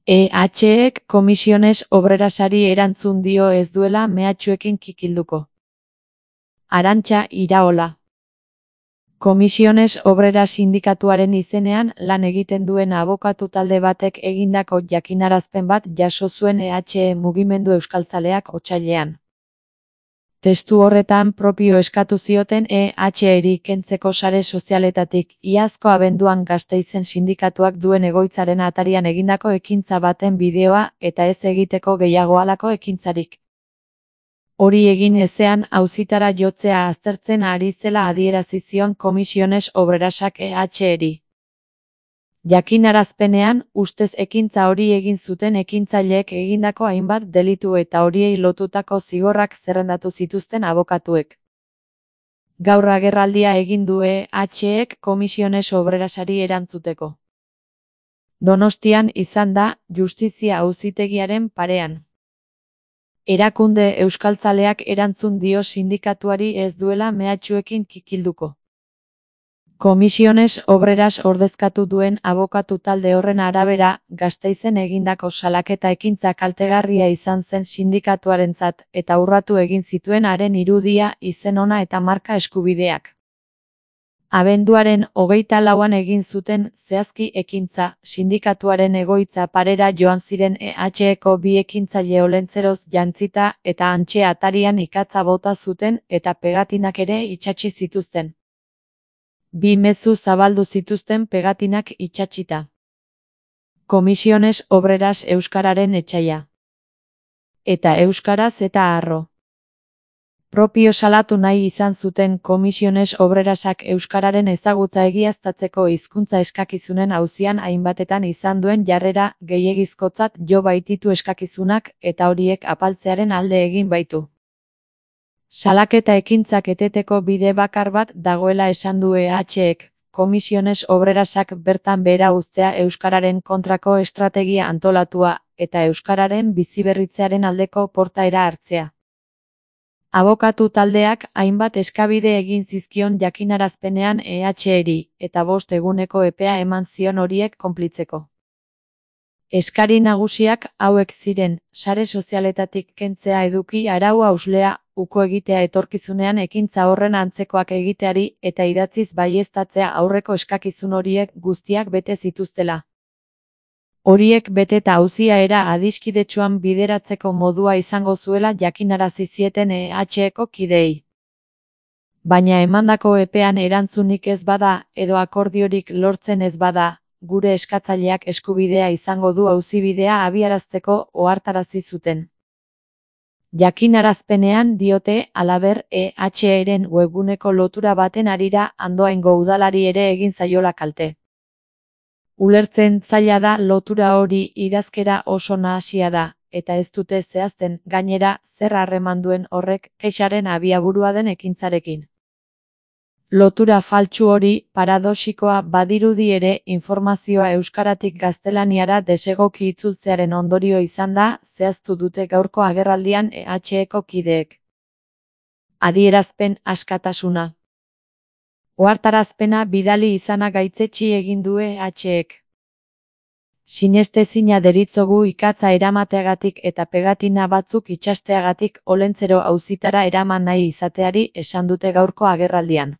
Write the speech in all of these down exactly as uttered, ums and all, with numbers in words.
E H-ek Comisiones Obrerasari erantzun dio ez duela mehatxuekin kikilduko. Arantxa Iraola. Comisiones Obreras sindikatuaren izenean lan egiten duen abokatu talde batek egindako jakinarazpen bat jaso zuen E H E mugimendu euskaltzaleak otsailean. Testu horretan propio eskatu zioten E H-eri kentzeko sare sozialetatik iazko abenduan Gasteizen sindikatuak duen egoitzaren atarian egindako ekintza baten bideoa eta ez egiteko gehiago halako ekintzarik. Hori egin ezean auzitara jotzea aztertzen ari zela adierazi zion Comisiones Obrerasak E H-eri. Jakinarazpenean, ustez ekintza hori egin zuten ekintzaileek egindako hainbat delitu eta horiei lotutako zigorrak zerrendatu zituzten abokatuek. Gaur agerraldia egin du E H-ek Comisiones Obrerasari erantzuteko. Donostian izan da, Justizia Auzitegiaren parean. Erakunde euskaltzaleak erantzun dio sindikatuari ez duela mehatxuekin kikilduko. Comisiones Obreras ordezkatu duen abokatu talde horren arabera, Gasteizen egindako salaketa ekintza kaltegarria izan zen sindikatuarentzat eta urratu egin zituen haren irudia, izen ona eta marka eskubideak. Abenduaren hogeita lauan egin zuten zehazki ekintza, sindikatuaren egoitza parera joan ziren E H-eko bi ekintzaile olentzeroz jantzita eta hantxe atarian ikatza bota zuten eta pegatinak ere itsatsi zituzten. Bi mezu zabaldu zituzten pegatinak itsatsita. Comisiones Obreras euskararen etsaia. Eta euskaraz eta harro. Propio salatu nahi izan zuten Comisiones Obrerasak euskararen ezagutza egiaztatzeko hizkuntza eskakizunen auzian hainbatetan izan duen jarrera gehiegizkotzat jo baititu eskakizunak eta horiek apaltzearen alde egin baitu. Salaketa ekintzak eteteko bide bakar bat dagoela esan du E H-ek, Comisiones Obrerasak bertan behera uztea euskararen kontrako estrategia antolatua eta euskararen biziberritzearen aldeko portaera hartzea. Abokatu taldeak hainbat eskabide egin zizkion jakinarazpenean E H-eri eta bost eguneko epea eman zion horiek konplitzeko. Eskari nagusiak hauek ziren, sare sozialetatik kentzea eduki arau hauslea, uko egitea etorkizunean ekintza horren antzekoak egiteari eta idatziz baieztatzea aurreko eskakizun horiek guztiak bete zituztela. Horiek beteta auzia era adiskidetsuan bideratzeko modua izango zuela jakinarazi zieten E H-eko kideei. Baina emandako epean erantzunik ez bada edo akordiorik lortzen ez bada, gure eskatzaileak eskubidea izango du auzibidea abiarazteko ohartarazi zuten. Jakinarazpenean diote, halaber, E H-eren webguneko lotura baten harira Andoaingo udalari ere egin zaiola kalte. Ulertzen zaila da lotura hori idazkera oso nahasia da, eta ez dute zehazten, gainera, zer harreman duen horrek kexaren abiaburua den ekintzarekin. Lotura faltsu hori, paradoxikoa badirudi ere, informazioa euskaratik gaztelaniara desegoki itzultzearen ondorio izan da, zehaztu dute gaurko agerraldian E H-eko kideek. Adierazpen askatasuna. Ohartarazpena bidali izana gaitzetsi egin du E H-ek. Sinestezina deritzogu ikatza eramateagatik eta pegatina batzuk itsasteagatik olentzero auzitara eraman nahi izateari esan dute gaurko agerraldian.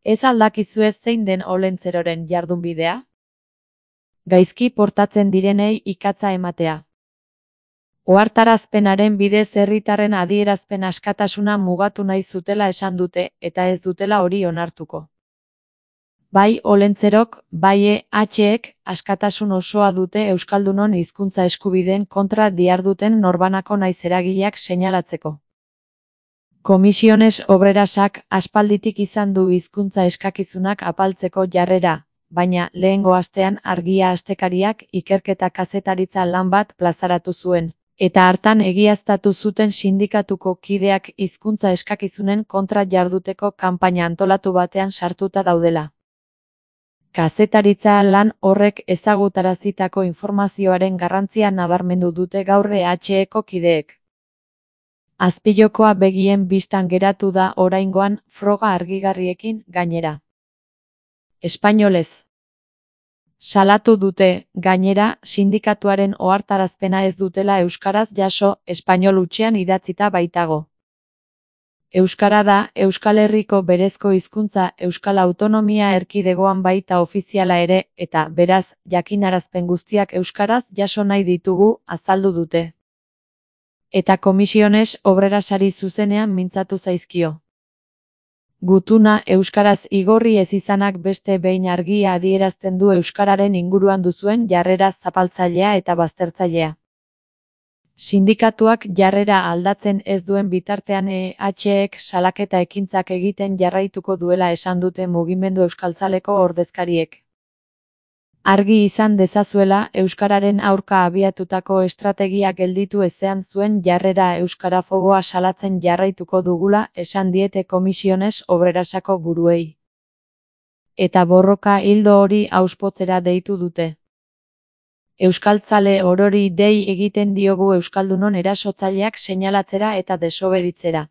Ez aldakizue zein den olentzeroren jardunbidea? Gaizki portatzen direnei ikatza ematea. Ohartarazpenaren bidez herritarren adierazpen askatasuna mugatu nahi zutela esan dute, eta ez dutela hori onartuko. Bai olentzerok, bai E H-ek askatasun osoa dute euskaldunon hizkuntza eskubideen kontra diharduten norbanako naiz eragileak seinalatzeko. Comisiones Obrerasak aspalditik izan du hizkuntza eskakizunak apaltzeko jarrera, baina lehengo astean Argia astekariak ikerketa kazetaritza lan bat plazaratu zuen, eta hartan egiaztatu zuten sindikatuko kideak hizkuntza eskakizunen kontra jarduteko kanpaina antolatu batean sartuta daudela. Kazetaritza lan horrek ezagutarazitako informazioaren garrantzia nabarmendu dute gaur E H-eko kideek. Azpilokoa begien bistan geratu da oraingoan froga argigarriekin gainera. Espainolez. Salatu dute, gainera, sindikatuaren ohartarazpena ez dutela euskaraz jaso, espainol hutsean idatzita baitago. Euskara da, Euskal Herriko berezko hizkuntza Euskal Autonomia Erkidegoan baita ofiziala ere, eta, beraz, jakinarazpen guztiak euskaraz jaso nahi ditugu, azaldu dute. Eta Komisiones Obrerasari zuzenean mintzatu zaizkio. Gutuna euskaraz igorri ez izanak beste behin argia adierazten du euskararen inguruan duzuen jarrera zapaltzailea eta baztertzailea. Sindikatuak jarrera aldatzen ez duen bitartean E H-ek salaketa ekintzak egiten jarraituko duela esan dute mugimendu euskaltzaleko ordezkariek. Argi izan dezazuela, euskararen aurka abiatutako estrategia gelditu ezean zuen jarrera euskarafoboa salatzen jarraituko dugula, esan diete Komisiones Obrerasako buruei. Eta borroka ildo hori hauspotzera deitu dute. Euskaltzale orori dei egiten diogu euskaldunon erasotzaileak seinalatzera eta desobeditzera.